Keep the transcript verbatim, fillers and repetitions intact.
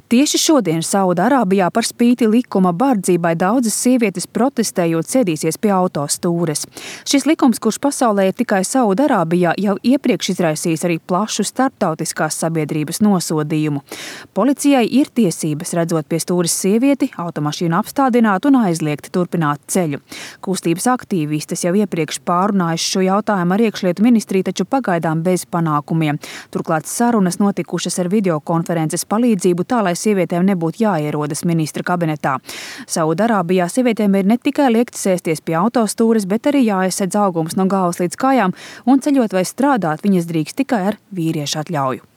Tieši šodien Saudārābijā par spīti likuma bardzībai daudzas sievietes protestējot sēdīsies pie autostūres. Šis likums, kurš pasaulē ir tikai Saudārābijā, jau iepriekš izraisījis arī plašu starptautiskās sabiedrības nosodījumu. Policijai ir tiesības, redzot pie stūres sievieti, automašīnu apstādināt un aizliegt turpināt ceļu. Kustības aktīvistes jau iepriekš pārunājuši šo jautājumu ar iekšlietu ministriju, taču pagaidām bez panākumiem. Turklāt sarunas notikušas ar videokonferences palīdzību tā, lai sievietēm nebūtu jāierodas ministra kabinetā. Saudārābijā sievietēm ir ne tikai liekts sēsties pie autostūres, bet arī jāaizsedz augums no galvas līdz kājām, un ceļot vai strādāt viņas drīkst tikai ar vīriešu atļauju.